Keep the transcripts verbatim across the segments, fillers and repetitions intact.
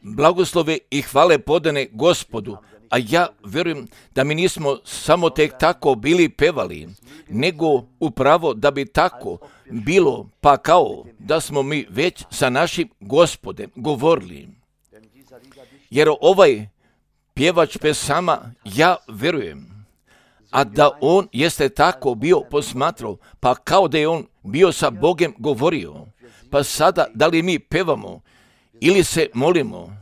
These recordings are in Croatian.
Blagoslove i hvale podane Gospodu, a ja vjerujem da mi nismo samo tek tako bili pevali, nego upravo da bi tako bilo, pa kao da smo mi već sa našim Gospodem govorili. Jer ovaj pjevač pesama, ja vjerujem, a da on jeste tako bio posmatrao, pa kao da je on bio sa Bogom govorio. Pa sada, da li mi pevamo ili se molimo,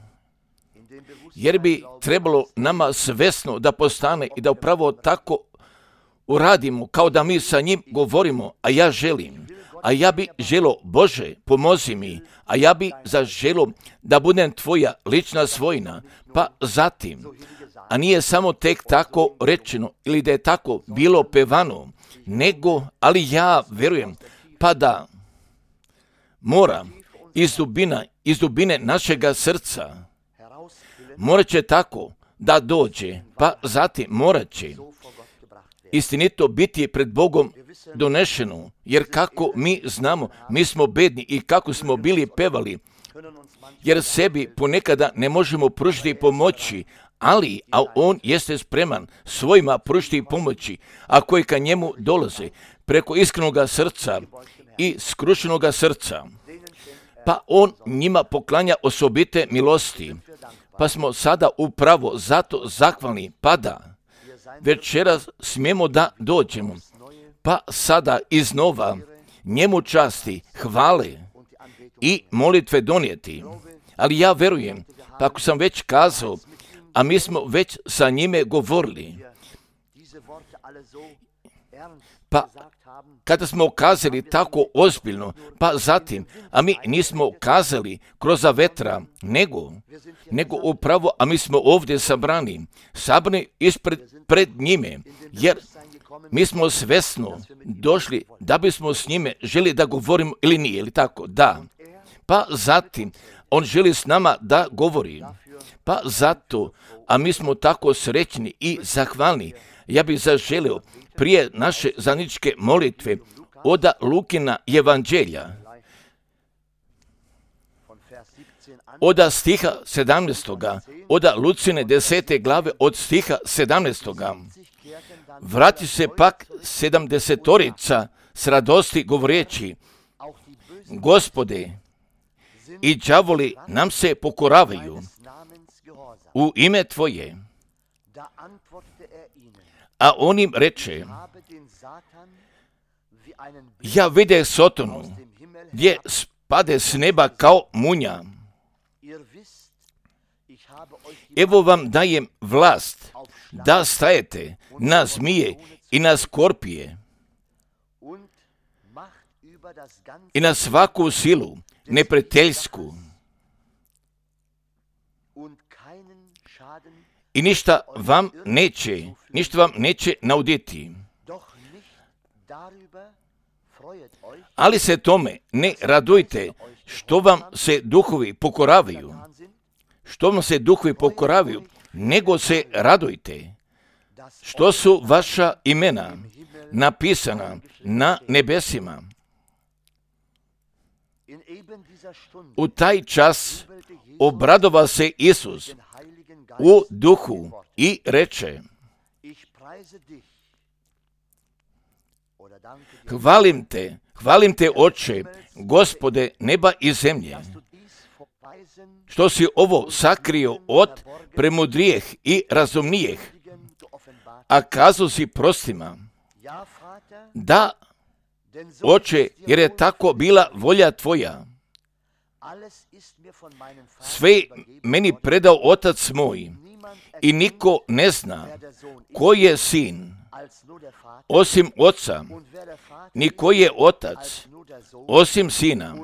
jer bi trebalo nama svesno da postane i da upravo tako uradimo, kao da mi sa njim govorimo, a ja želim, a ja bi želo, Bože, pomozi mi, a ja bi zaželo da budem tvoja lična svojina, pa zatim, a nije samo tek tako rečeno ili da je tako bilo pevano, nego, ali ja vjerujem, pa da mora iz dubina, iz dubine našega srca, morat će tako da dođe, pa zatim morat će istinito biti pred Bogom donešeno, jer kako mi znamo, mi smo bedni i kako smo bili pevali, jer sebi ponekada ne možemo pružiti pomoći, ali, a on jeste spreman svojima pružiti pomoći, a koji ka njemu dolaze preko iskrenoga srca i skrušenoga srca, pa on njima poklanja osobite milosti, pa smo sada upravo zato zahvalni, pa da večeras smijemo da dođemo, pa sada iznova njemu časti, hvale i molitve donijeti. Ali ja verujem, pa ako sam već kazao, a mi smo već sa njime govorili, pa kada smo kazali tako ozbiljno, pa zatim, a mi nismo kazali kroz vetra, nego, nego upravo, a mi smo ovdje sabrani, sabrani ispred pred njime, jer mi smo svesno došli da bismo s njime želi da govorimo ili nije, ili tako, da. Pa zatim, on želi s nama da govori, pa zato, a mi smo tako srećni i zahvalni. Ja bih zaželio prije naše zajedničke molitve od Lukina evanđelja, od stiha sedamnaestoga, od Lucine desete glave od stiha sedamnaestoga. Vrati se pak sedamdesetorica s radosti govoreći, Gospode, i đavoli nam se pokoravaju u ime Tvoje. A on im reče, ja videh Sotonu, gdje spade s neba kao munja. Evo vam dajem vlast da stajete na zmije i na skorpije i na svaku silu neprijateljsku i ništa vam neće, ništa vam neće nauditi. Ali se tome ne radujte što vam se duhovi pokoravaju, što vam se duhovi pokoravaju, nego se radujte što su vaša imena napisana na nebesima. U taj čas obradova se Isus u duhu i reče, hvalim te, hvalim te, Oče, Gospode neba i zemlje, što si ovo sakrio od premudrijeh i razumnijeh, a kazao si prostima. Da, Oče, jer je tako bila volja Tvoja. Sve meni predao Otac moj i niko ne zna ko je sin osim Oca, ni ko je Otac osim Sina.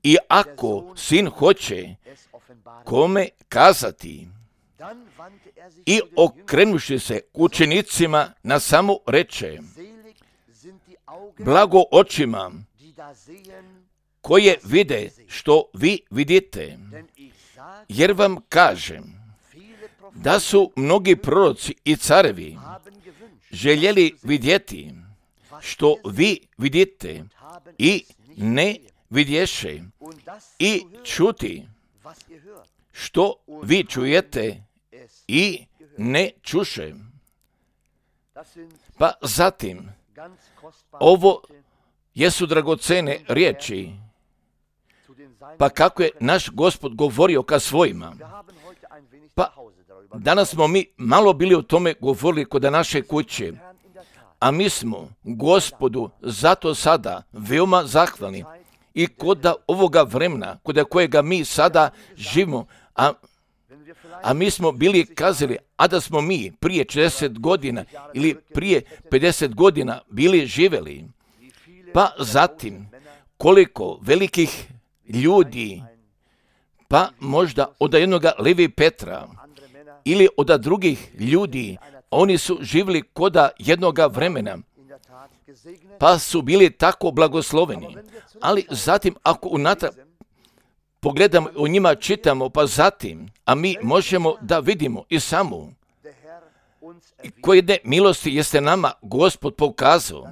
I ako Sin hoće kome kazati, i okrenuši se k učenicima na samo reče, blago očima koje vide što vi vidite, jer vam kažem da su mnogi proroci i carevi željeli vidjeti što vi vidite i ne vidješe, i čuti što vi čujete i ne čuše. Pa zatim, ovo jesu dragocene riječi, pa kako je naš Gospod govorio ka svojima. Pa danas smo mi malo bili o tome govorili kod naše kuće, a mi smo Gospodu zato sada veoma zahvalni i kod ovoga vremena, kod kojega mi sada živimo, a, a mi smo bili kazali, a da smo mi prije četrdeset godina ili prije pedeset godina bili živeli, pa zatim koliko velikih ljudi, pa možda od jednoga Levi Petra ili od drugih ljudi, oni su živjeli koda jednoga vremena, pa su bili tako blagosloveni. Ali zatim, ako unatrag pogledamo, o njima čitamo, pa zatim, a mi možemo da vidimo i samo koje jedne milosti jeste nama Gospod pokazao,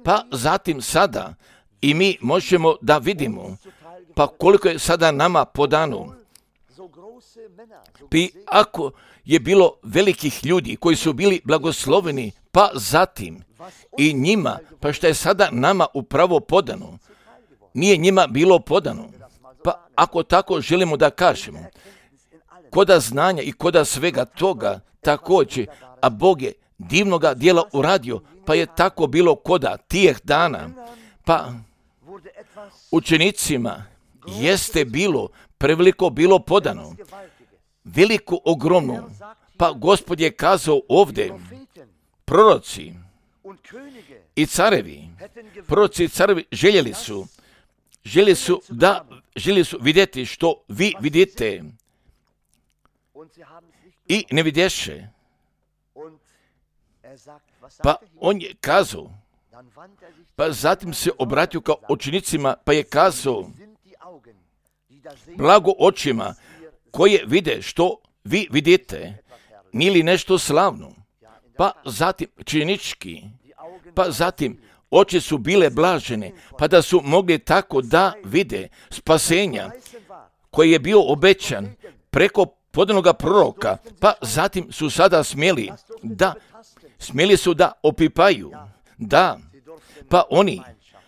pa zatim sada i mi možemo da vidimo, pa koliko je sada nama podano. I ako je bilo velikih ljudi koji su bili blagosloveni, pa zatim i njima, pa što je sada nama upravo podano, nije njima bilo podano. Pa ako tako želimo da kažemo, koda znanja i koda svega toga također, a Bog je divnoga djela uradio, pa je tako bilo koda tijeh dana, pa učenicima jeste bilo, preveliko bilo podano, veliko, ogromno, pa Gospod je kazao ovdje, proroci i carevi, proroci i carevi željeli su, željeli su da, željeli su vidjeti što vi vidite i ne vidješe. Pa on je kazao, pa zatim se obratio kao učenicima, pa je kazao, blago očima koje vide što vi vidite, nije li nešto slavno? Pa zatim činički, pa zatim oči su bile blažene, pa da su mogli tako da vide spasenja koji je bio obećan preko podanoga proroka, pa zatim su sada smjeli da, smjeli su da opipaju, da, pa oni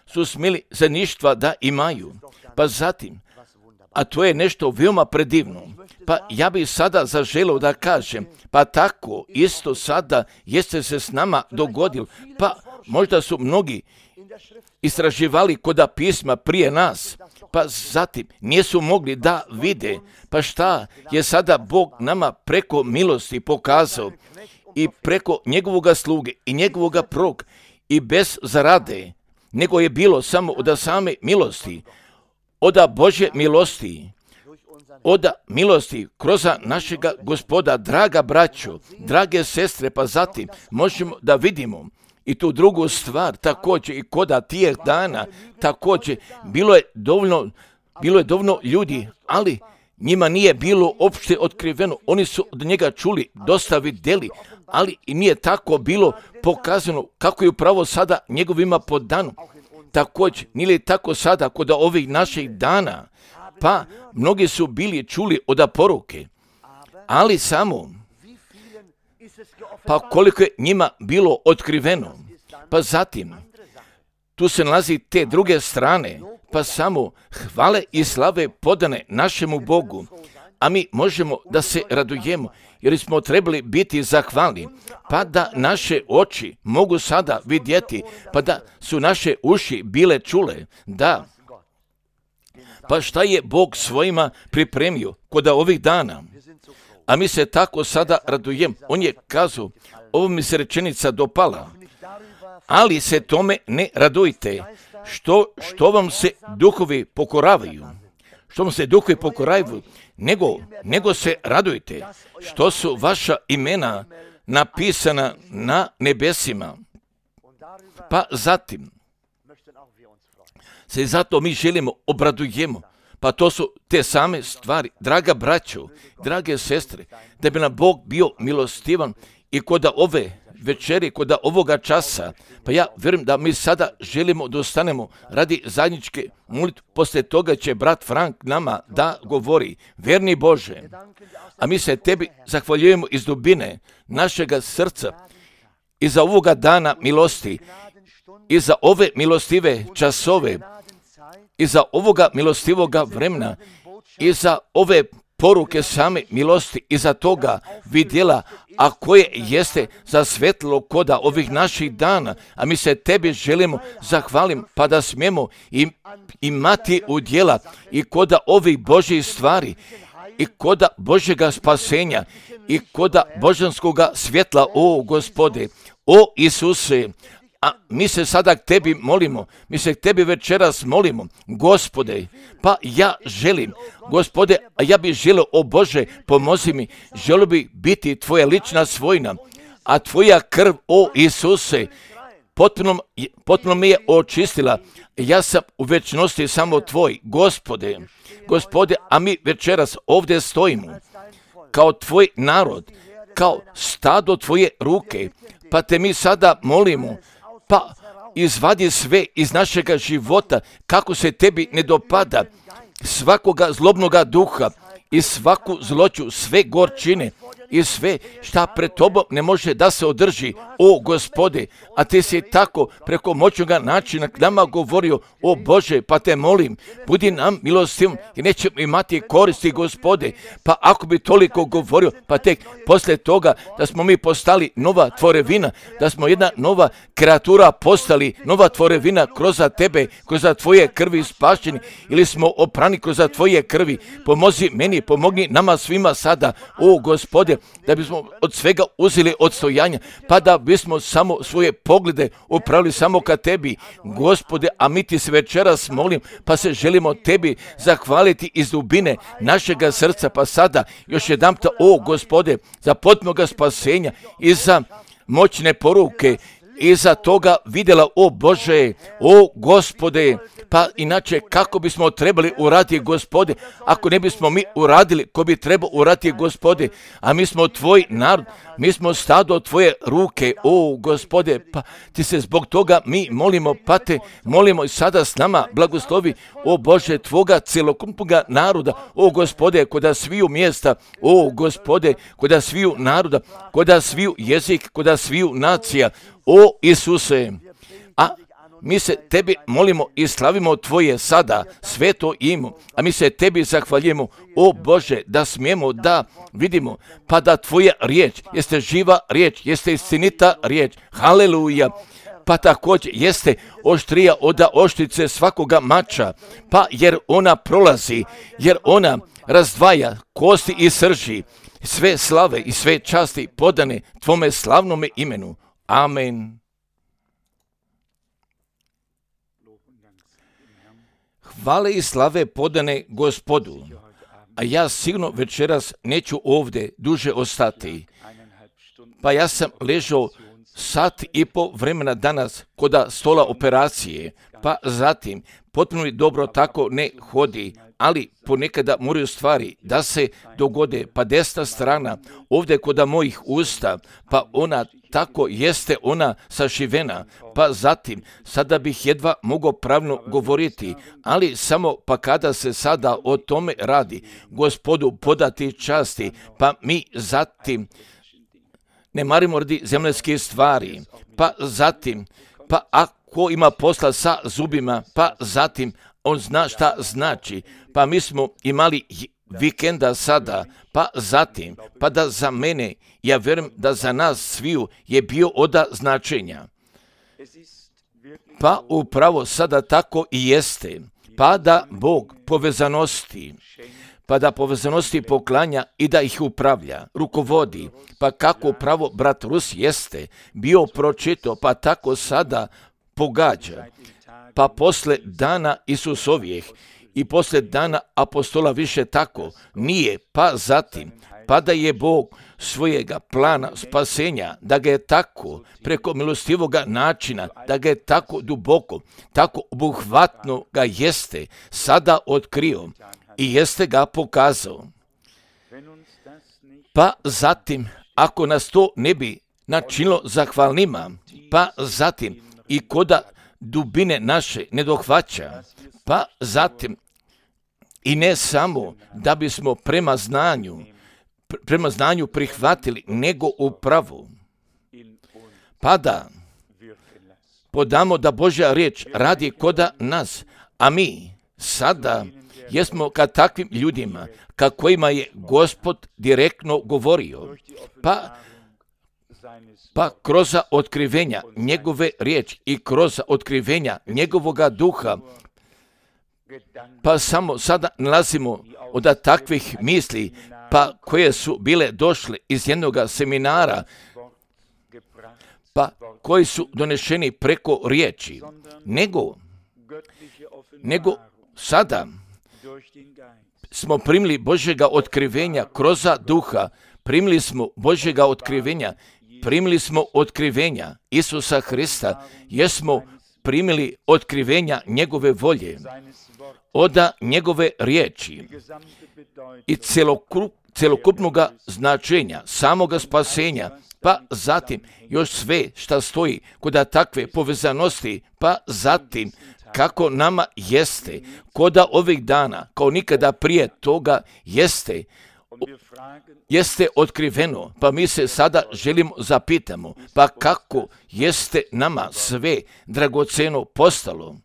su smjeli zajedništva da imaju, pa zatim, a to je nešto veoma predivno. Pa ja bih sada zaželio da kažem, pa tako isto sada jeste se s nama dogodilo, pa možda su mnogi istraživali koda pisma prije nas, pa zatim nisu mogli da vide, pa šta je sada Bog nama preko milosti pokazao i preko njegovoga sluge i njegovoga proroka i bez zarade, nego je bilo samo od same milosti, od Božje milosti, od milosti kroz našega Gospoda, draga braćo, drage sestre, pa zatim možemo da vidimo i tu drugu stvar također i koda tijeh dana također bilo je dovoljno, bilo je dovoljno ljudi, ali njima nije bilo opšte otkriveno, oni su od njega čuli, dosta vidjeli, ali i nije tako bilo pokazano kako je upravo sada njegovima podano. Također, nije li tako sada kod ovih naših dana, pa mnogi su bili čuli od poruke, ali samo, pa koliko je njima bilo otkriveno, pa zatim, tu se nalazi te druge strane, pa samo hvale i slave podane našemu Bogu, a mi možemo da se radujemo, jer smo trebali biti zahvalni, pa da naše oči mogu sada vidjeti, pa da su naše uši bile čule, da. Pa šta je Bog svojima pripremio kod ovih dana? A mi se tako sada radujemo. On je kazao, ovo mi se rečenica dopala, ali se tome ne radujte, što, što vam se duhovi pokoravaju, što vam se duhovi pokoravaju, nego, nego se radujte, što su vaša imena napisana na nebesima. Pa zatim, se zato mi želimo, obradujemo, pa to su te same stvari, draga braćo, drage sestre, da bi nam Bog bio milostivan i kod ove večeri, kod ovoga časa. Pa ja vjerujem da mi sada želimo da ostanemo radi zajedničke molitve. Poslije toga će brat Frank nama da govori. Vjerni Bože, a mi se tebi zahvaljujemo iz dubine našega srca i za ovoga dana milosti, i za ove milostive časove, i za ovoga milostivoga vremena, i za ove poruke same milosti, i za toga vidjela, a koje jeste za svetlo koda ovih naših dana, a mi se tebi želimo zahvalim, pa da smijemo im, imati udjela i koda ovih Božjih stvari, i koda Božjega spasenja, i koda božanskoga svjetla, o Gospode, o Isuse. A mi se sada k tebi molimo, mi se k tebi večeras molimo, Gospode, pa ja želim, Gospode, a ja bih želio, o Bože, pomozi mi, želio bih biti tvoja lična svojina, a tvoja krv, o Isuse, potpuno, potpuno mi je očistila, ja sam u večnosti samo tvoj, Gospode, Gospode, a mi večeras ovdje stojimo, kao tvoj narod, kao stado tvoje ruke, pa te mi sada molimo, pa izvadi sve iz našega života kako se tebi ne dopada, svakoga zlobnoga duha i svaku zloću, sve gorčine i sve šta pred tobom ne može da se održi, o Gospode, a ti si tako preko moćnoga načina k nama govorio, o Bože, pa te molim, budi nam milostiv i nećemo imati koristi, Gospode, pa ako bi toliko govorio, pa tek poslije toga da smo mi postali nova tvorevina, da smo jedna nova kreatura postali, nova tvorevina kroz tebe, kroz tvoje krvi spašeni, ili smo oprani kroz tvoje krvi, pomozi meni, pomogni nama svima sada, o Gospode, da bismo od svega uzeli odstojanja, pa da bismo samo svoje poglede upravili samo ka tebi, Gospode, a mi ti se večeras molim, pa se želimo tebi zahvaliti iz dubine našega srca, pa sada još jedanput, o Gospode, za potpunoga spasenja i za moćne poruke, i za toga vidjela, o Bože, o Gospode, pa inače kako bismo trebali uraditi, Gospode, ako ne bismo mi uradili, ko bi trebao uraditi, Gospode, a mi smo tvoj narod, mi smo stado tvoje ruke, o Gospode, pa ti se zbog toga mi molimo, pa te molimo i sada s nama blagoslovi, o Bože, tvoga celokupnoga naroda, o Gospode, koda sviju mjesta, o Gospode, koda sviju naroda, koda sviju jezik, koda sviju nacija, o Isuse, a mi se tebi molimo i slavimo tvoje sada sveto ime, a mi se tebi zahvaljujemo, o Bože, da smijemo da vidimo, pa da tvoja riječ jeste živa riječ, jeste istinita riječ, haleluja, pa također jeste oštrija od oštrice svakoga mača, pa jer ona prolazi, jer ona razdvaja kosti i srži, sve slave i sve časti podane tvome slavnome imenu. Amen. Hvale i slave podane Gospodu, a ja sigurno večeras neću ovdje duže ostati. Pa ja sam ležao sat i po vremena danas kod stola operacije, pa zatim potpuno mi dobro tako ne hodi, ali ponekada moraju stvari da se dogode, pa desna strana ovdje kod mojih usta, pa ona tako jeste ona sašivena, pa zatim sada bih jedva mogao pravno govoriti, ali samo pa kada se sada o tome radi, Gospodu podati časti, pa mi zatim ne marimo radi zemljske stvari, pa zatim, pa ako ima posla sa zubima, pa zatim on zna šta znači, pa mi smo imali vikenda sada, pa zatim, pa da za mene, ja vjerujem da za nas sviju je bio oda značenja. Pa upravo sada tako i jeste, pa da Bog povezanosti, pa da povezanosti poklanja i da ih upravlja, rukovodi, pa kako upravo brat Rus jeste bio pročito, pa tako sada pogađa, pa posle dana Isusovijeh i posle dana apostola više tako nije, pa zatim, pa da je Bog svojega plana spasenja, da ga je tako preko milostivoga načina, da ga je tako duboko, tako obuhvatno ga jeste sada otkrio i jeste ga pokazao. Pa zatim, ako nas to ne bi načinilo zahvalnima, pa zatim i koda dubine naše ne dohvaća, pa zatim i ne samo da bismo prema znanju, prema znanju prihvatili, nego upravo, pa da podamo da Božja riječ radi koda nas, a mi sada jesmo ka takvim ljudima ka kojima je Gospod direktno govorio, pa, pa kroz otkrivenja njegove riječi i kroz otkrivenja njegovoga duha, pa samo sada nalazimo od takvih misli, pa koje su bile došle iz jednog seminara, pa koji su donešeni preko riječi, nego, nego sada smo primili Božjega otkrivenja kroz duha, primili smo Božjega otkrivenja, primili smo otkrivenja Isusa Hrista, jer smo primili otkrivenja njegove volje, od njegove riječi i celokup, celokupnog značenja, samoga spasenja, pa zatim još sve šta stoji kod takve povezanosti, pa zatim kako nama jeste, koda ovih dana, kao nikada prije toga jeste, jeste otkriveno, pa mi se sada želimo zapitamo, pa kako jeste nama sve dragoceno postalo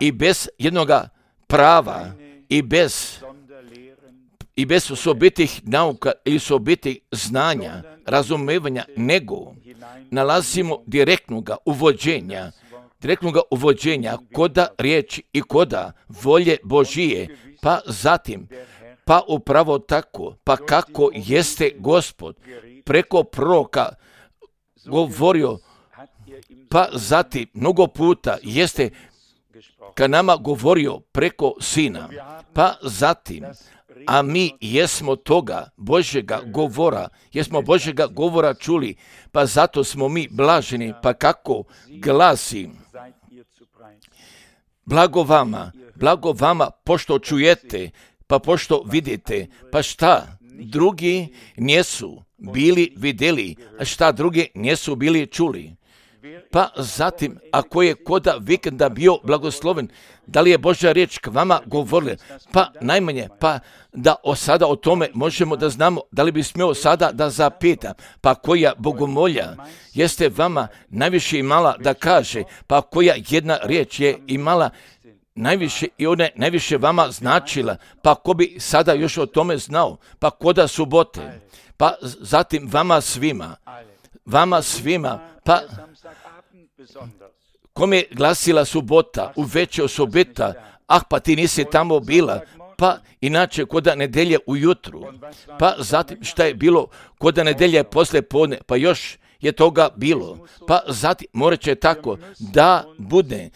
i bez jednoga prava i bez i bez osobitih nauka i osobitih znanja, razumevanja, nego nalazimo direktnog uvođenja, direktnog uvođenja koda riječi i koda volje Božije, pa zatim, pa upravo tako, pa kako jeste Gospod preko proroka govorio, pa zatim mnogo puta jeste ka nama govorio preko Sina, pa zatim, a mi jesmo toga Božjega govora, jesmo Božjega govora čuli, pa zato smo mi blaženi, pa kako glasi, blago vama, blago vama, pošto čujete, pa pošto vidite, pa šta drugi nisu bili vidjeli, a šta drugi nisu bili čuli. Pa zatim, ako je koda vikenda bio blagosloven, da li je Božja riječ k vama govorila? Pa najmanje, pa da o sada o tome možemo da znamo, da li bi smio sada da zapita, pa koja bogomolja jeste vama najviše imala da kaže, pa koja jedna riječ je imala najviše i ona je najviše vama značila, pa ko bi sada još o tome znao, pa koda subote, pa zatim vama svima, vama svima, pa kome je glasila subota, u veće osobita, ah pa ti nisi tamo bila, pa inače koda nedelje ujutru, pa zatim šta je bilo koda nedelje posle podne, pa još je toga bilo, pa zatim morat će tako da bude,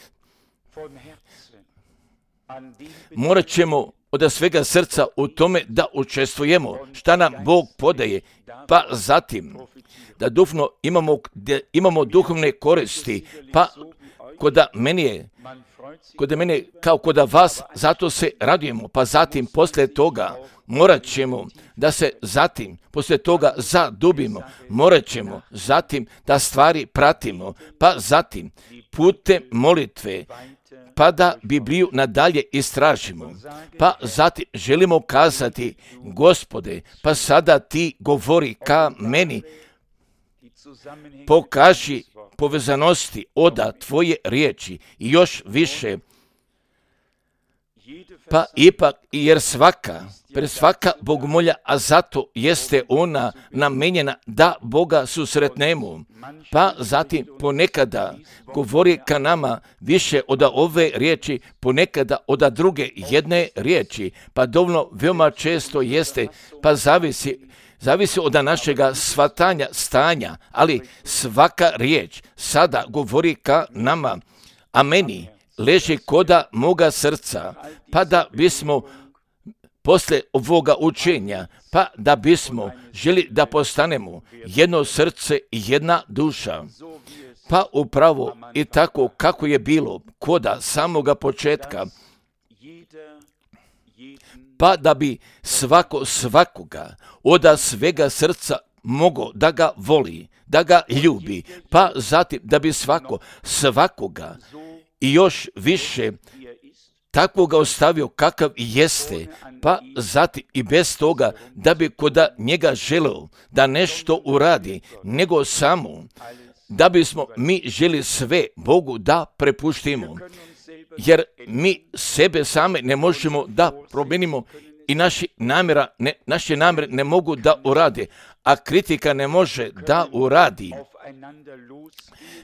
morat ćemo od svega srca u tome da učestvujemo, šta nam Bog podaje, pa zatim da duhovno imamo, da imamo duhovne koristi, pa koda meni je, koda meni kao koda vas, zato se radujemo, pa zatim poslije toga morat ćemo da se zatim, poslije toga zadubimo, morat ćemo zatim da stvari pratimo, pa zatim putem molitve, pa da Bibliju nadalje istražimo, pa zatim želimo kazati, Gospode, pa sada ti govori ka meni, pokaži povezanosti oda tvoje riječi i još više, pa ipak jer svaka, pre svaka bogomolja, a zato jeste ona namenjena da Boga susretnemo, pa zatim ponekada govori ka nama više od ove riječi, ponekada od druge jedne riječi, pa dovoljno veoma često jeste, pa zavisi Zavisi od našega shvatanja stanja, ali svaka riječ sada govori ka nama, a meni leži koda moga srca, pa da bismo posle ovoga učenja, pa da bismo želi da postanemo jedno srce i jedna duša, pa upravo i tako kako je bilo koda samoga početka, pa da bi svako svakoga od svega srca mogao da ga voli, da ga ljubi, pa zatim da bi svako, svakoga i još više takvoga ostavio kakav jeste, pa zatim i bez toga da bi koda njega želeo da nešto uradi, nego samo da bismo mi želi sve Bogu da prepuštimo, jer mi sebe same ne možemo da promijenimo i naši namjera, ne, naše namjere ne mogu da urade, a kritika ne može da uradi.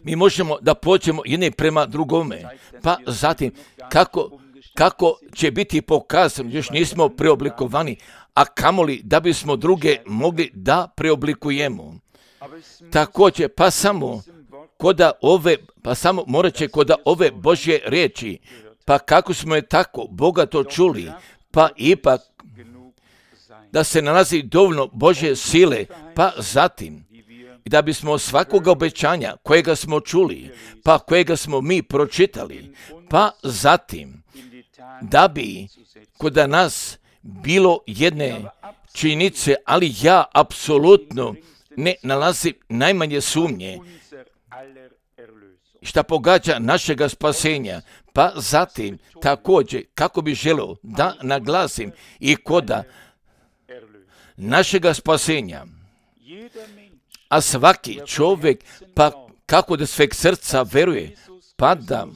Mi možemo da pođemo jedni prema drugome, pa zatim kako, kako će biti pokazano, još nismo preoblikovani, a kamoli da bismo druge mogli da preoblikujemo. Također, pa samo koda ove, pa samo morat će koda ove Božje riječi, pa kako smo je tako bogato čuli, pa ipak da se nalazi dovoljno Božje sile, pa zatim da bismo svakoga obećanja kojega smo čuli, pa kojega smo mi pročitali, pa zatim da bi kod nas bilo jedne činjenice, ali ja apsolutno ne nalazim najmanje sumnje šta pogađa našega spasenja, pa zatim također kako bi želeo da naglasim i koda našega spasenja, a svaki čovjek pa kako da sveg srca veruje, pa da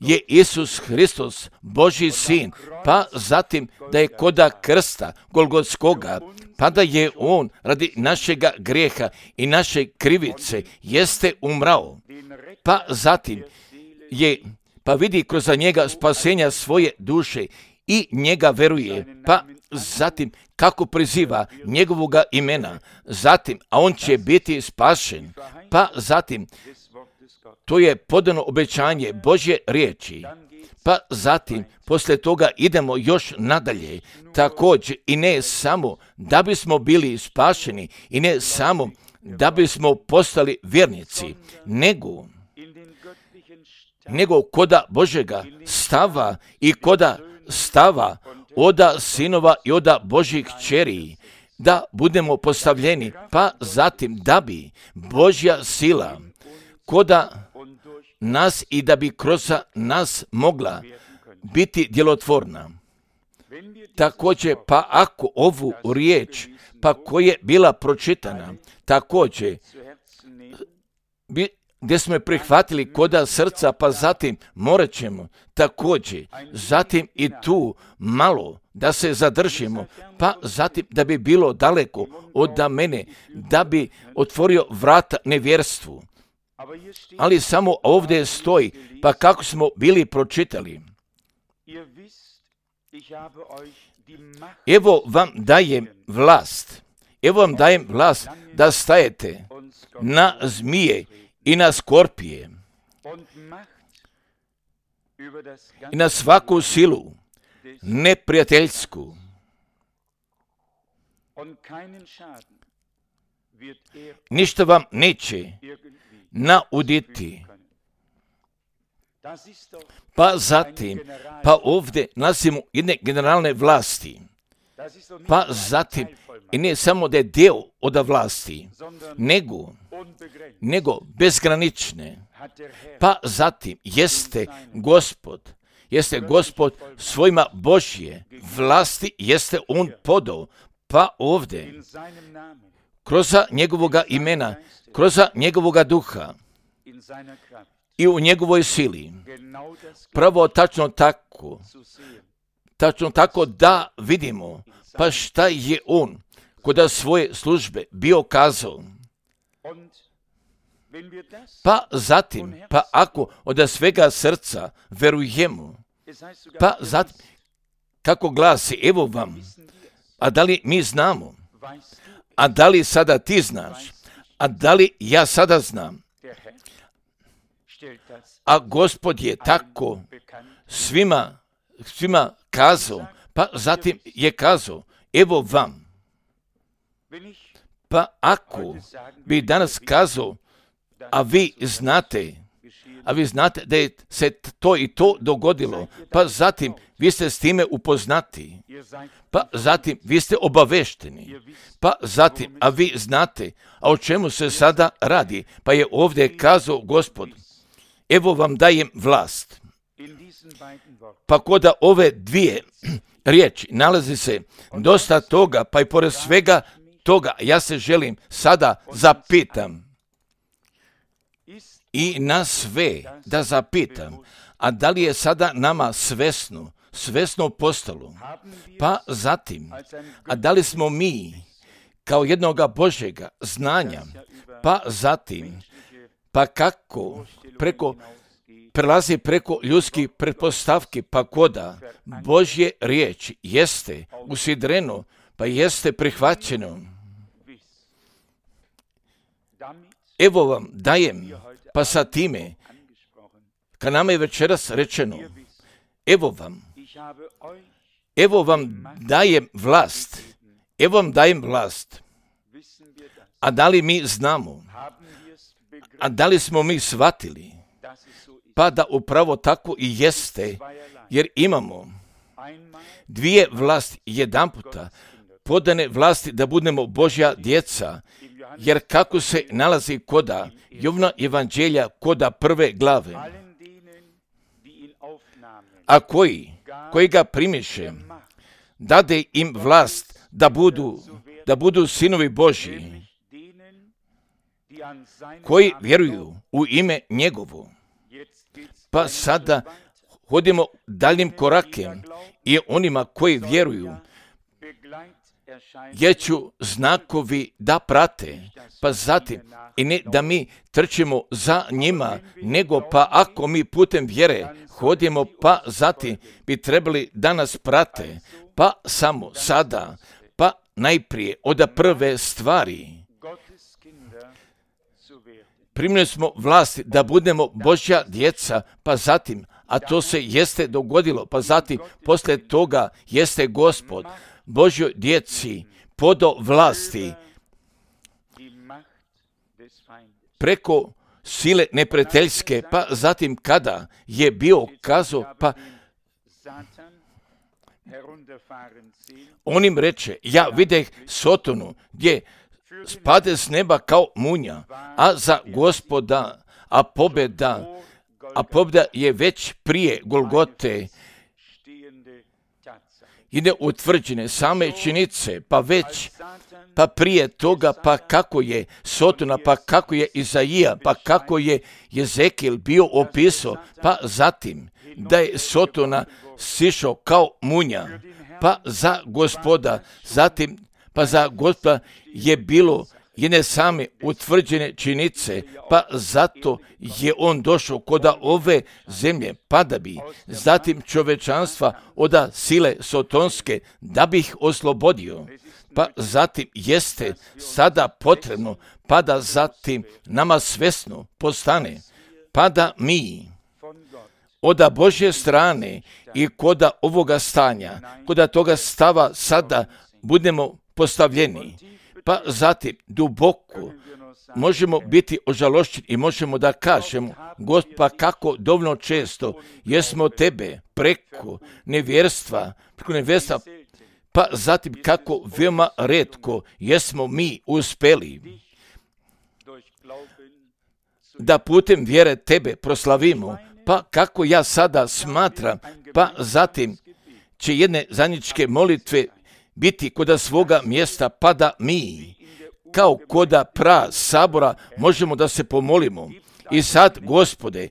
je Isus Hristos Božji sin, pa zatim da je koda krsta Golgotskoga, pa da je on radi našega grijeha i naše krivice jeste umrao, pa zatim je, pa vidi kroz njega spasenja svoje duše i njega veruje, pa zatim kako priziva njegovoga imena, zatim, a on će biti spašen, pa zatim to je podano obećanje Božje riječi, pa zatim poslije toga idemo još nadalje, također i ne samo da bismo bili spašeni i ne samo da bismo postali vjernici, nego nego koda Božjega stava i koda stava oda sinova i oda Božjih kćeri, da budemo postavljeni, pa zatim da bi Božja sila koda nas i da bi kroz nas mogla biti djelotvorna. Također, pa ako ovu riječ, pa koja je bila pročitana, također, bi, gdje smo je prihvatili koda srca, pa zatim morat ćemo također, zatim i tu malo da se zadržimo, pa zatim da bi bilo daleko od mene, da bi otvorio vrata nevjerstvu. Ali samo ovdje stoji, pa kako smo bili pročitali. Evo vam dajem vlast, evo vam dajem vlast da stajete na zmije i na skorpije i na svaku silu neprijateljsku. Ništa vam neće nauditi. Pa zatim, pa ovdje nalazimo jedne generalne vlasti. Pa zatim, i ne samo da je dio od vlasti, nego, nego bezgranične. Pa zatim, jeste Gospod, jeste Gospod svojima Božje vlasti, jeste on podao. Pa ovdje, kroz njegovoga imena, kroz njegovoga duha i u njegovoj sili, pravo tačno tako, tačno tako da vidimo, pa šta je on kod svoje službe bio kazao. Pa zatim, pa ako od svega srca verujemo, pa zatim, kako glasi, evo vam, a da li mi znamo, a da li sada ti znaš, a da li ja sada znam, a Gospod je tako svima, svima kazao, pa zatim je kazao, evo vam. Pa ako bi danas kazao, a vi znate, a vi znate da je se to i to dogodilo, pa zatim vi ste s time upoznati, pa zatim vi ste obavešteni, pa zatim, a vi znate, a o čemu se sada radi, pa je ovdje kazao Gospod, evo vam dajem vlast. Pa kod ove dvije riječi nalazi se dosta toga, pa i pored svega toga ja se želim sada zapitam i na sve da zapitam, a da li je sada nama svesno, svesno postalo, pa zatim, a da li smo mi kao jednoga Božjega znanja, pa zatim, pa kako preko prelazi preko ljudskih pretpostavki, pa koda Božje riječi jeste usidreno, pa jeste prihvaćeno. Evo vam dajem, pa sa time, kad nama je večeras rečeno, evo vam, evo vam dajem vlast, evo vam dajem vlast. A da li mi znamo, a da li smo mi shvatili, pa da upravo tako i jeste, jer imamo dvije vlasti, jedan puta podane vlasti da budemo Božja djeca, jer kako se nalazi koda Jovna evanđelja koda prve glave, a koji, koji ga primiše, dade im vlast da budu, da budu sinovi Božji, koji vjeruju u ime njegovo. Pa sada hodimo daljim korakem i onima koji vjeruju, jer ću znakovi da prate, pa zatim i ne da mi trčimo za njima, nego pa ako mi putem vjere hodimo, pa zatim bi trebali da nas prate, pa samo sada, pa najprije od prve stvari. Primili smo vlasti da budemo Božja djeca, pa zatim, a to se jeste dogodilo, pa zatim poslije toga jeste Gospod Božjoj djeci podo vlasti preko sile neprijateljske, pa zatim kada je bio kazao, pa on im reče, ja videh Sotonu gdje spade s neba kao munja, a za Gospoda, a pobjeda, a pobjeda je već prije Golgote i ne utvrđene same činjenice, pa već, pa prije toga, pa kako je Sotona, pa kako je Izaija, pa kako je Jezekijel bio opisao, pa zatim da je Sotona sišao kao munja, pa za Gospoda, zatim pa za Gospoda je bilo jedne same utvrđene činjenice, pa zato je on došao kod ove zemlje, pa da bi zatim čovečanstva od sile sotonske, da bi ih oslobodio. Pa zatim jeste sada potrebno, pa da zatim nama svesno postane, pa da mi od Božje strane i kod ovoga stanja, kod toga stava sada budemo postavljeni, pa zatim duboko možemo biti ožalošćeni i možemo da kažemo, Gospod, pa kako dovoljno često jesmo tebe preko nevjerstva, preko nevjerstva, pa zatim kako veoma retko jesmo mi uspeli da putem vjere tebe proslavimo, pa kako ja sada smatram, pa zatim će jedne zajedničke molitve biti kod svoga mjesta, pa da mi, kao kod pra sabora, možemo da se pomolimo. I sad, Gospode,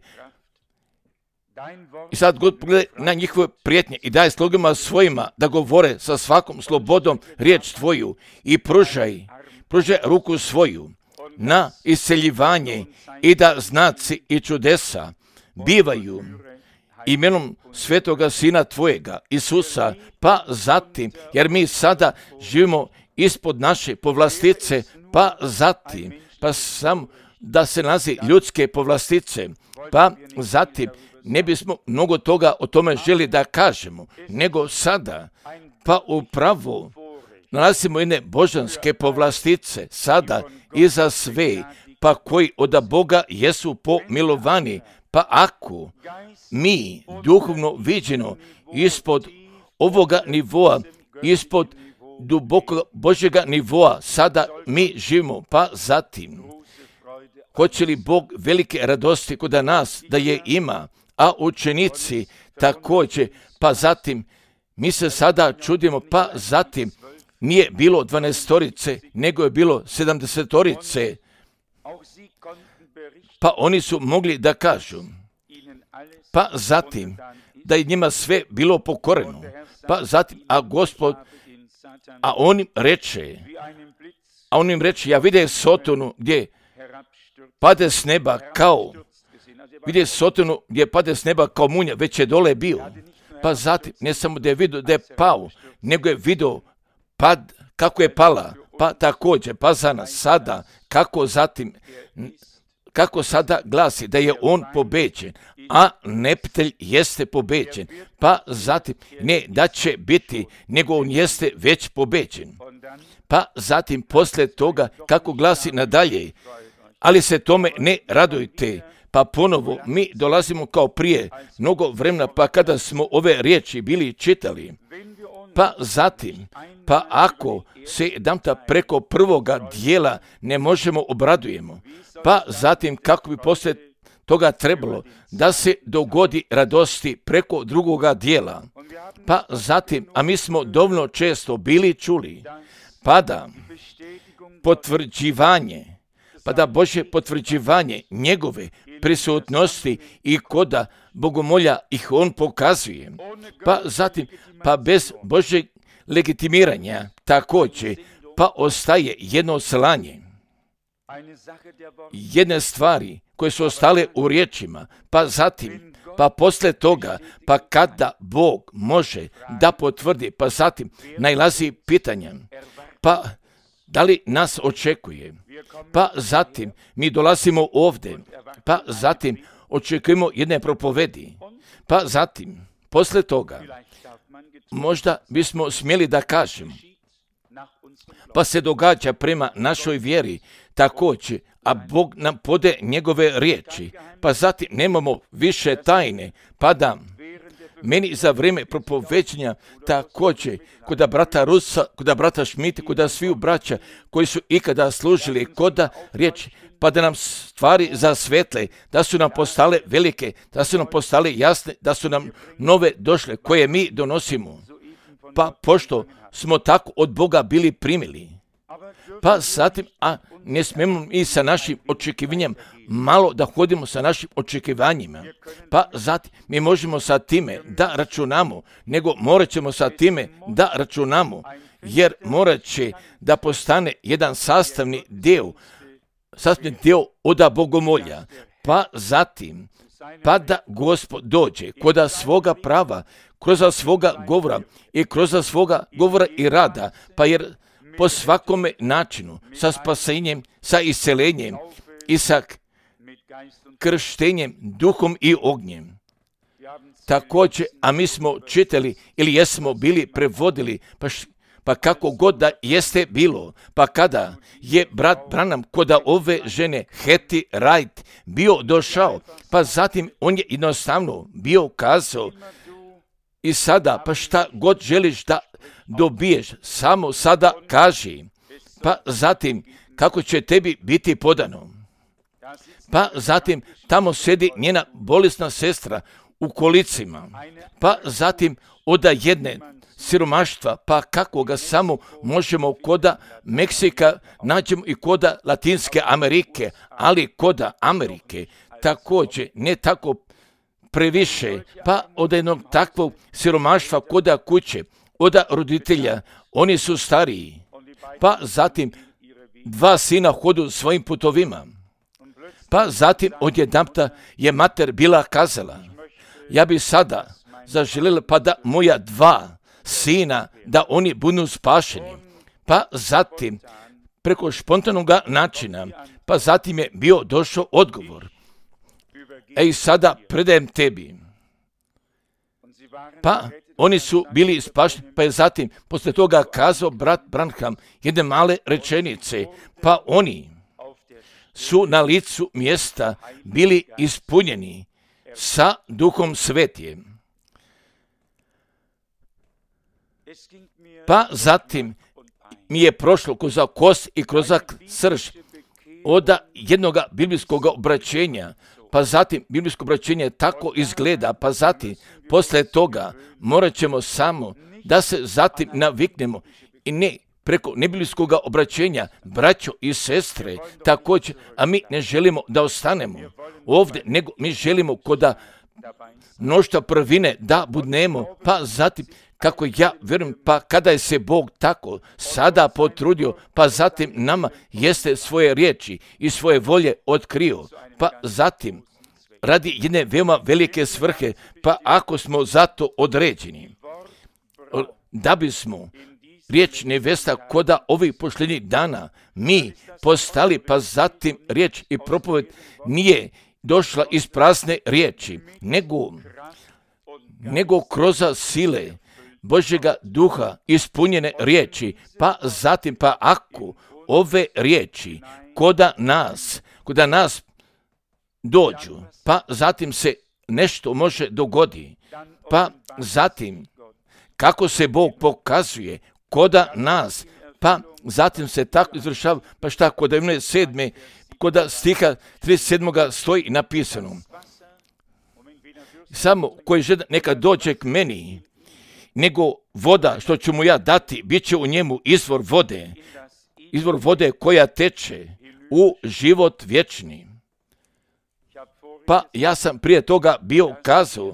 i sad, Gospod, pogledaj na njihove prijetnje i daj slugama svojima da govore sa svakom slobodom riječ tvoju i pružaj, pružaj ruku svoju na isceljivanje i da znaci i čudesa bivaju imenom svetoga Sina tvojega, Isusa, pa zatim, jer mi sada živimo ispod naše povlastice, pa zatim, pa sam da se nalazi ljudske povlastice, pa zatim ne bismo mnogo toga o tome želi da kažemo, nego sada, pa upravo nalazimo jedne božanske povlastice, sada i za sve pa koji od Boga jesu pomilovani, pa ako mi duhovno viđeno ispod ovoga nivoa, ispod dubokog Božjega nivoa, sada mi živimo, pa zatim, hoće li Bog velike radosti kod nas da je ima, a učenici također, pa zatim, mi se sada čudimo, pa zatim, nije bilo dvanaestorice, nego je bilo sedamdesetorice, pa oni su mogli da kažu, pa zatim, da je njima sve bilo pokoreno, pa zatim, a Gospod, a on im reče, a on im reče, ja vidim Sotonu gdje pade s neba kao, vidim Sotonu gdje pade s neba kao munja, već je dole bio, pa zatim, ne samo da je vidio da je pao, nego je vidio pad, kako je pala, pa također, pa za nas sada, kako zatim, kako sada glasi da je on pobeđen, a neptelj jeste pobeđen, pa zatim, ne da će biti, nego on jeste već pobeđen. Pa zatim, poslije toga, kako glasi nadalje, ali se tome ne radujte, pa ponovo mi dolazimo kao prije mnogo vremena, pa kada smo ove riječi bili čitali, pa zatim, pa ako se jedanputa preko prvoga dijela ne možemo obradujemo, pa zatim kako bi poslije toga trebalo da se dogodi radosti preko drugoga dijela, pa zatim, a mi smo dovoljno često bili čuli, pa da potvrđivanje, pa da Božje potvrđivanje njegove prisutnosti i koda bogomolja ih on pokazuje, pa zatim, pa bez Božjeg legitimiranja također, pa ostaje jedno slanje, jedne stvari koje su ostale u riječima, pa zatim, pa poslije toga, pa kada Bog može da potvrdi, pa zatim najlazi pitanja, pa da li nas očekuje, pa zatim mi dolazimo ovdje, pa zatim očekujemo jedne propovedi, pa zatim, poslije toga, možda bismo smjeli da kažemo, pa se događa prema našoj vjeri također, a Bog nam pode njegove riječi, pa zatim nemamo više tajne, pa da meni za vrijeme propoveđenja također, kod brata Rusa, kod brata Šmita, kod sviju braća koji su ikada služili kod riječi, pa da nam stvari zasvetle, da su nam postale velike, da su nam postale jasne, da su nam nove došle, koje mi donosimo. Pa pošto smo tako od Boga bili primili, pa zatim, a ne smijemo i sa našim očekivanjem malo da hodimo sa našim očekivanjima, pa zatim mi možemo sa time da računamo, nego morat ćemo sa time da računamo, jer morat će da postane jedan sastavni dio, sastavni dio oda bogomolja, pa zatim, pa da Gospod dođe koda svoga prava, kroz svoga govora i kroz svoga govora i rada, pa jer po svakome načinu, sa spasenjem, sa iscelenjem i sa krštenjem duhom i ognjem. Također, a mi smo čitali ili jesmo bili prevodili, pa, š, pa kako god da jeste bilo, pa kada je brat Branham kod ove žene Hetty Wright bio došao, pa zatim on je jednostavno bio kazao, i sada, pa šta god želiš da dobiješ, samo sada kaži, pa zatim kako će tebi biti podano. Pa zatim tamo sedi njena bolesna sestra u kolicima, pa zatim oda jedne siromaštva, pa kako ga samo možemo koda Meksika nađemo i koda Latinske Amerike, ali koda Amerike također ne tako previše, pa od jednog takvog siromaštva koda kuće, oda roditelja, oni su stariji, pa zatim dva sina hodu svojim putovima, pa zatim odjedanputa je mater bila kazala, ja bi sada zaželjela pa da moja dva sina, da oni budu spašeni, pa zatim preko spontanog načina, pa zatim je bio došao odgovor, ej sada predajem tebi, pa oni su bili spašeni, pa je zatim poslije toga kazao brat Branham jedne male rečenice, pa oni su na licu mjesta bili ispunjeni sa Duhom Svetim. Pa zatim mi je prošlo kroz kost i kroz srž od jednog biblijskog obraćenja, pa zatim biblijsko obraćenje tako izgleda, pa zatim posle toga morat ćemo samo da se zatim naviknemo i ne preko nebiblijskog obraćenja, braćo i sestre, također, a mi ne želimo da ostanemo ovdje, nego mi želimo koda mnoštva prvine da budnemo, pa zatim kako ja vjerujem, pa kada je se Bog tako sada potrudio, pa zatim nama jeste svoje riječi i svoje volje otkrio, pa zatim radi jedne veoma velike svrhe, pa ako smo zato određeni, da bismo riječ nevesta koda ovih posljednjih dana mi postali, pa zatim riječ i propoved nije došla iz prazne riječi, nego, nego kroz sile Božjega duha ispunjene riječi, pa zatim, pa ako ove riječi koda nas, koda nas dođu, pa zatim se nešto može dogodi, pa zatim kako se Bog pokazuje koda nas, pa zatim se tako izvršava, pa šta kod sedme, koda stiha trideset sedmog stoji napisano, samo koji žele neka dođe k meni, nego voda što ću mu ja dati, bit će u njemu izvor vode, izvor vode koja teče u život vječni. Pa ja sam prije toga bio kazao,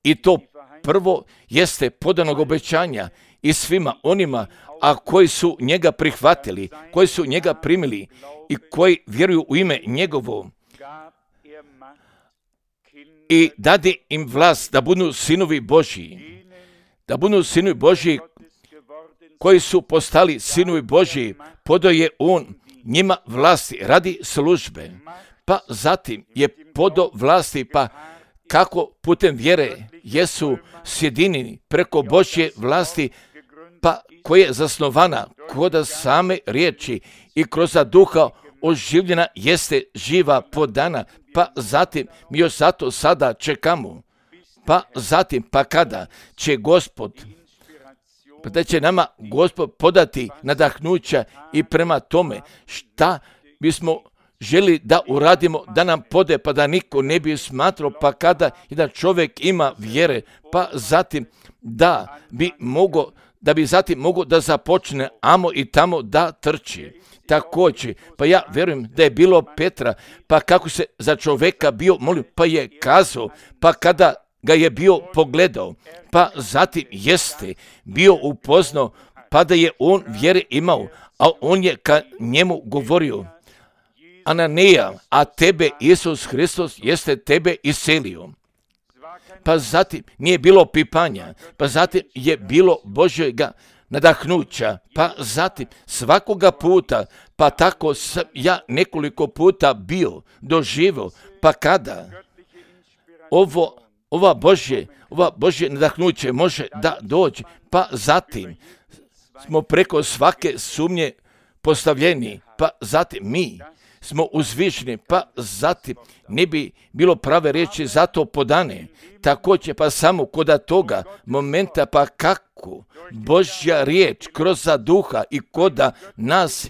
i to prvo jeste podanog obećanja i svima onima, a koji su njega prihvatili, koji su njega primili i koji vjeruju u ime njegovo, i dade im vlast da budu sinovi Božji, da budu sinovi Božji koji su postali sinovi Božji, podao je on njima vlasti radi službe, pa zatim je podao vlasti, pa kako putem vjere jesu sjedinjeni preko Božje vlasti, pa koja je zasnovana kod same riječi i kroz duha oživljena jeste živa podana, pa zatim mi još zato sada čekamo, pa zatim, pa kada će Gospod, pa da će nama Gospod podati nadahnuća i prema tome šta bismo želi da uradimo, da nam pode, pa da niko ne bi smatrao, pa kada jedan čovjek ima vjere, pa zatim da bi mogo, da bi zatim mogo da započne amo i tamo da trči. Također, pa ja vjerujem da je bilo Petra, pa kako se za čovjeka bio molio, pa je kazao, pa kada ga je bio pogledao, pa zatim jeste bio upoznao, pa da je on vjere imao, a on je ka njemu govorio, Ananija, a tebe Isus Hristos jeste tebe iselio. Pa zatim nije bilo pipanja, pa zatim je bilo Božjega nadahnuća, pa zatim svakoga puta, pa tako sam ja nekoliko puta bio doživio, pa kada ovo, ova Božje, ova Božje nadahnuće može da dođe, pa zatim smo preko svake sumnje postavljeni, pa zatim mi smo uzvišeni, pa zatim ne bi bilo prave riječi zato podane. Također pa samo kod toga momenta, pa kako Božja riječ kroz duha i koda nas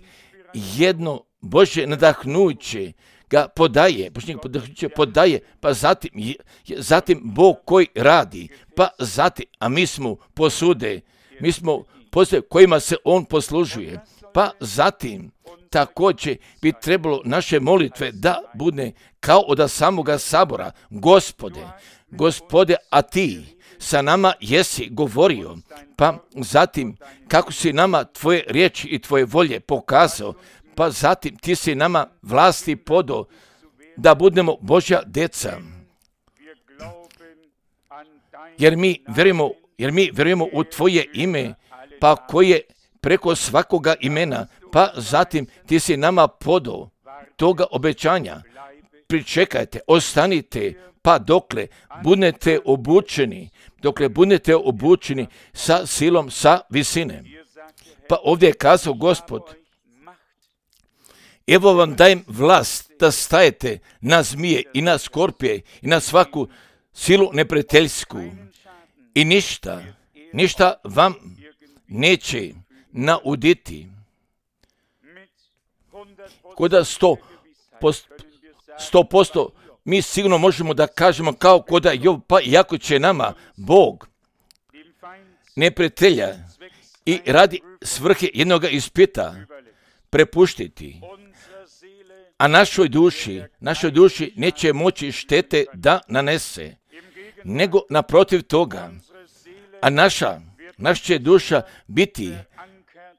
jedno Božje nadahnuće ga podaje, Božje nadahnuće podaje, pa zatim, zatim Bog koji radi, pa zatim, a mi smo posude, mi smo posude kojima se on poslužuje, pa zatim također bi trebalo naše molitve da bude kao od samoga sabora. Gospode, Gospode, a ti sa nama jesi govorio, pa zatim kako si nama tvoje riječi i tvoje volje pokazao, pa zatim ti si nama vlasti podao da budemo Božja deca. Jer mi vjerujemo, jer mi vjerujemo u tvoje ime, pa koje preko svakoga imena, pa zatim ti si nama podao toga obećanja. Pričekajte, ostanite, pa dokle budete obučeni, dokle budete obučeni sa silom, sa visine. Pa ovdje je kazao Gospod, Evo vam dajem vlast da stajete na zmije i na skorpije i na svaku silu neprijateljsku. I ništa, ništa vam neće nauditi. Koda sto posto mi sigurno možemo da kažemo kao koda Job, pa iako će nama Bog neprijatelja i radi svrhe jednoga ispita prepuštiti, a našoj duši, našoj duši neće moći štete da nanese, nego naprotiv toga, a naša, naša će duša biti,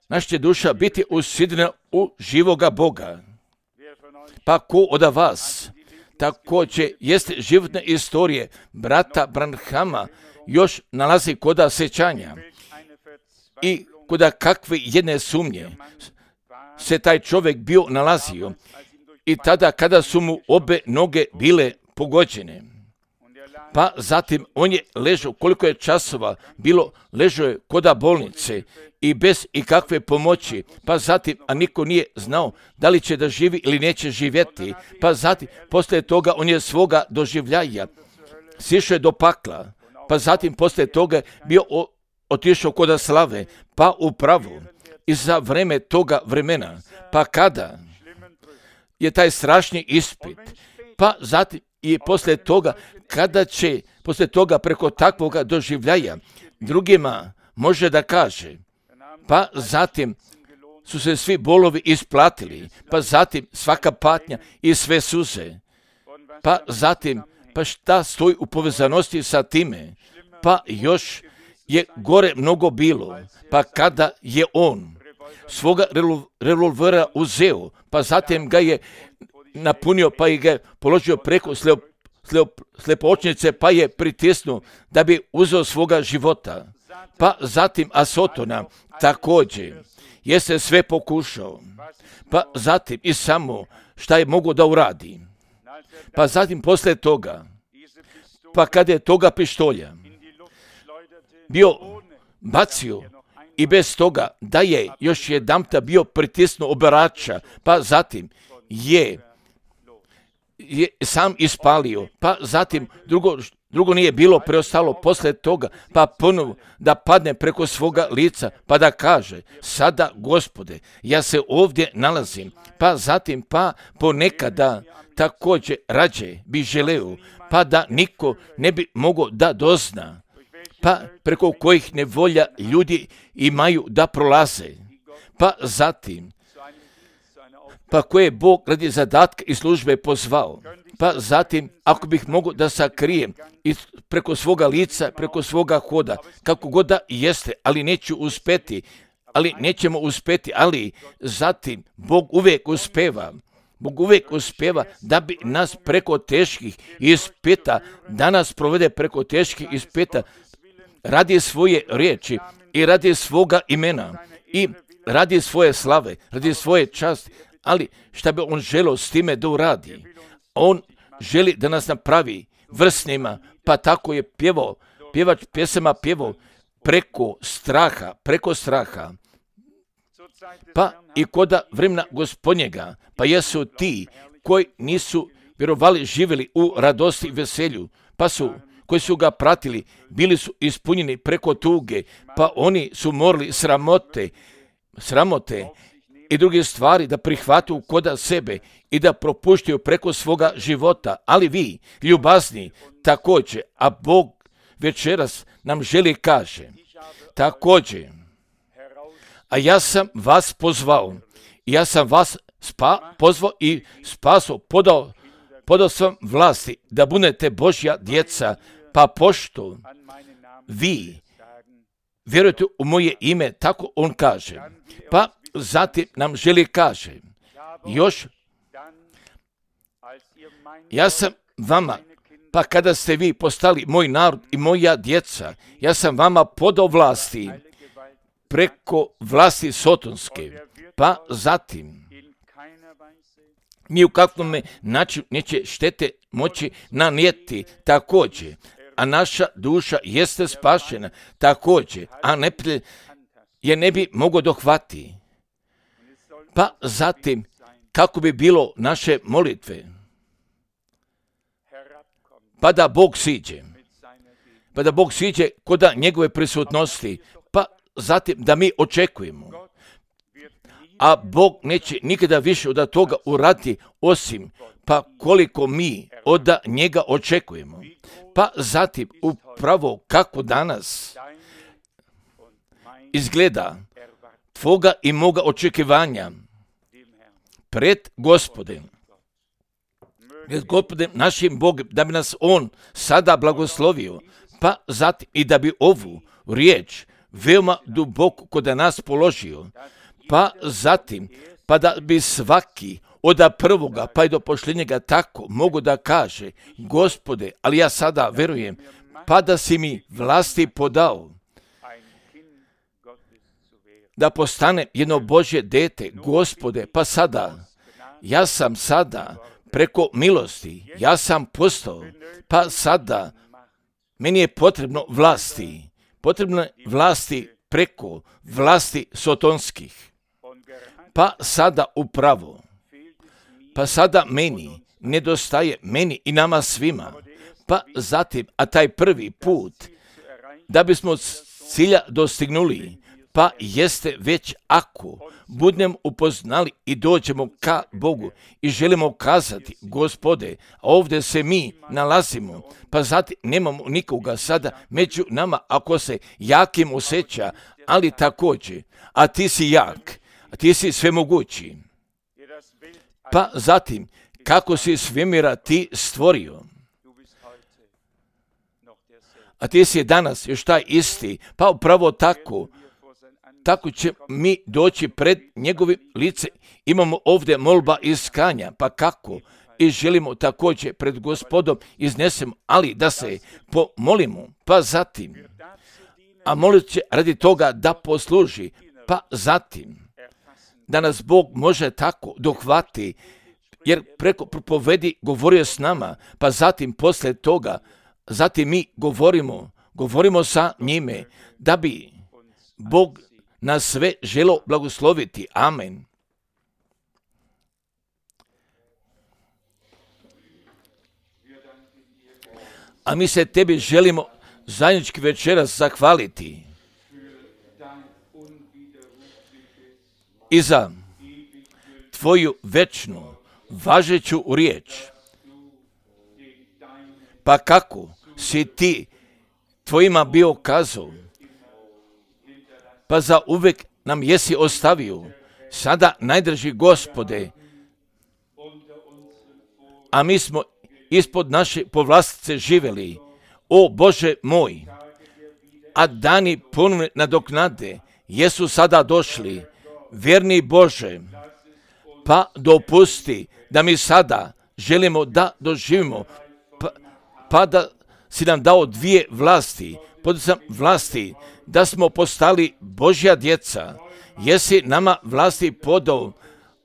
naša će duša biti usidrena u živoga Boga. Pa ko od vas također jeste životne istorije brata Branhama još nalazi koda sećanja i koda kakve jedne sumnje se taj čovjek bio nalazio i tada kada su mu obe noge bile pogođene. Pa zatim on je ležao, koliko je časova bilo, ležao je koda bolnice i bez ikakve pomoći, pa zatim, a niko nije znao da li će da živi ili neće živjeti, pa zatim, poslije toga on je svoga doživljaja sišao je do pakla, pa zatim poslije toga bio o, otišao koda slave, pa upravo i za vreme toga vremena, pa kada je taj strašni ispit, pa zatim i poslije toga, kada će poslije toga preko takvoga doživljaja drugima može da kaže, pa zatim su se svi bolovi isplatili, pa zatim svaka patnja i sve suze, pa zatim, pa šta stoji u povezanosti sa time, pa još je gore mnogo bilo, pa kada je on svoga revolvera uzeo, pa zatim ga je napunio, pa i ga je položio preko slep, slep, slepočnice, pa je pritisnuo da bi uzeo svoga života. Pa zatim Asotona također jeste sve pokušao, pa zatim i samo šta je mogo da uradi. Pa zatim poslije toga, pa kada je toga pištolja bio bacio i bez toga da je još jedanputa bio pritisnuo obarača, pa zatim je, je sam ispalio, pa zatim drugo, drugo nije bilo preostalo poslije toga, pa ponovo da padne preko svoga lica, pa da kaže, sada Gospode, ja se ovdje nalazim, pa zatim pa ponekada također rađe bi želeo, pa da niko ne bi mogao da dozna, pa preko kojih nevolja ljudi imaju da prolaze, pa zatim, pa koje Bog radi zadatka i službe pozvao, pa zatim, ako bih mogao da sakrijem i preko svoga lica, preko svoga hoda, kako god da jeste, ali neću uspeti, ali nećemo uspeti, ali zatim Bog uvijek uspeva, Bog uvijek uspeva da bi nas preko teških ispita, da nas provede preko teških ispita, radi svoje riječi i radi svoga imena i radi svoje slave, radi svoje časti, ali šta bi on želio s time da uradi? On želi da nas napravi vrsnima, pa tako je pjevao, pjevač pjesama pjevao preko straha, preko straha. Pa i koda vremena Gospodnjega, pa jesu ti koji nisu vjerovali živjeli u radosti i veselju, pa su koji su ga pratili, bili su ispunjeni preko tuge, pa oni su morali sramote, sramote i druge stvari da prihvatu koda sebe i da propuštaju preko svoga života. Ali vi, ljubazni, također, a Bog večeras nam želi kaže, također, a ja sam vas pozvao, ja sam vas spa, pozvao i spasao, podao, podao sam vlasti da budete Božja djeca, pa pošto vi vjerujete u moje ime, tako on kaže. Pa zatim nam želi kaže, još, ja sam vama, pa kada ste vi postali moj narod i moja djeca, ja sam vama podao vlasti preko vlasti sotonske, pa zatim ni u kakvom načinu neće štete moći nanijeti također, a naša duša jeste spašena također, a neprijatelj je ne bi mogao dohvati. Pa zatim, kako bi bilo naše molitve. Pa da Bog siđe. Pa da Bog siđe kod njegove prisutnosti. Pa zatim da mi očekujemo. A Bog neće nikada više od toga uraditi osim pa koliko mi od njega očekujemo. Pa zatim upravo kako danas izgleda tvoga i moga očekivanja pred Gospodem. Pred Gospodem našim Bogom, da bi nas On sada blagoslovio, pa zatim i da bi ovu riječ veoma duboko kod nas položio, pa zatim, pa da bi svaki od prvoga pa i do posljednjega tako mogu da kaže, Gospode, ali ja sada verujem, pa da si mi vlasti podao, da postane jedno Božje dete, Gospode, pa sada, ja sam sada preko milosti, ja sam postao, pa sada, meni je potrebno vlasti, potrebno je vlasti preko vlasti sotonskih, pa sada upravo, pa sada meni nedostaje, meni i nama svima, pa zatim, a taj prvi put, da bismo cilja dostignuli, pa jeste već ako budemo upoznali i dođemo ka Bogu i želimo kazati, Gospode, ovdje se mi nalazimo, pa zatim nemamo nikoga sada među nama ako se jakim osjeća, ali također, a ti si jak, a ti si svemogući. Pa zatim, kako si svemira ti stvorio, a ti si danas još taj isti, pa upravo tako, tako će mi doći pred njegovim lice. Imamo ovdje molba iskanja, pa kako? I želimo također pred Gospodom iznesemo, ali da se pomolimo, pa zatim, a molit će radi toga da posluži, pa zatim, da nas Bog može tako dohvati, jer preko propovedi govorio s nama, pa zatim posle toga, zatim mi govorimo, govorimo sa njime, da bi Bog nas sve želo blagosloviti. Amen. A mi se tebi želimo zajednički večeras zahvaliti i za tvoju večnu, važeću riječ. Pa kako si ti tvojima bio kazao, pa za uvek nam jesi ostavio, sada najdrži Gospode, a mi smo ispod naše povlastice živjeli, o Bože moj, a dani ponovne nadoknade jesu sada došli, vjerni Bože, pa dopusti da mi sada želimo da doživimo, pa, pa da si nam dao dvije vlasti, podisam vlasti, da smo postali Božja djeca, jesi nama vlasti podao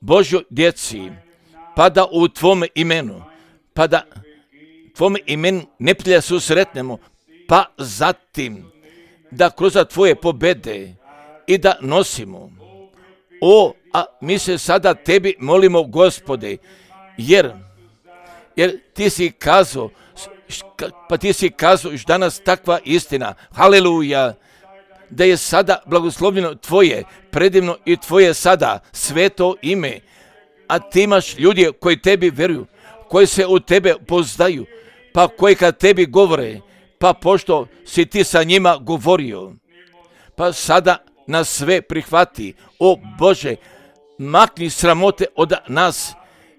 Božjoj djeci, pa da u tvome imenu, pa da tvome imenu neprijatelja susretnemo, pa zatim da kroz tvoje pobede i da nosimo. O, a mi se sada tebi molimo, Gospode, jer, jer ti si kazao, pa ti si kazao još danas takva istina, haleluja, da je sada blagoslovljeno tvoje predivno i tvoje sada sveto ime, a ti imaš ljudi koji tebi veruju, koji se u tebe poznaju, pa koji kad tebi govore, pa pošto si ti sa njima govorio, pa sada nas sve prihvati, o Bože, makni sramote od nas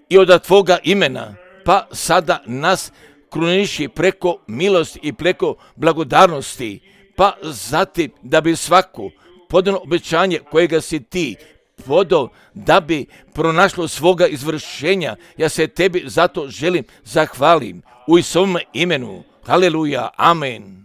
i od tvoga imena, pa sada nas kruniši preko milosti i preko blagodarnosti, pa zatim da bi svako podano obećanje kojega si ti podao, da bi pronašlo svoga izvršenja. Ja se tebi zato želim zahvalim u Isusovom imenu. Haleluja, amen.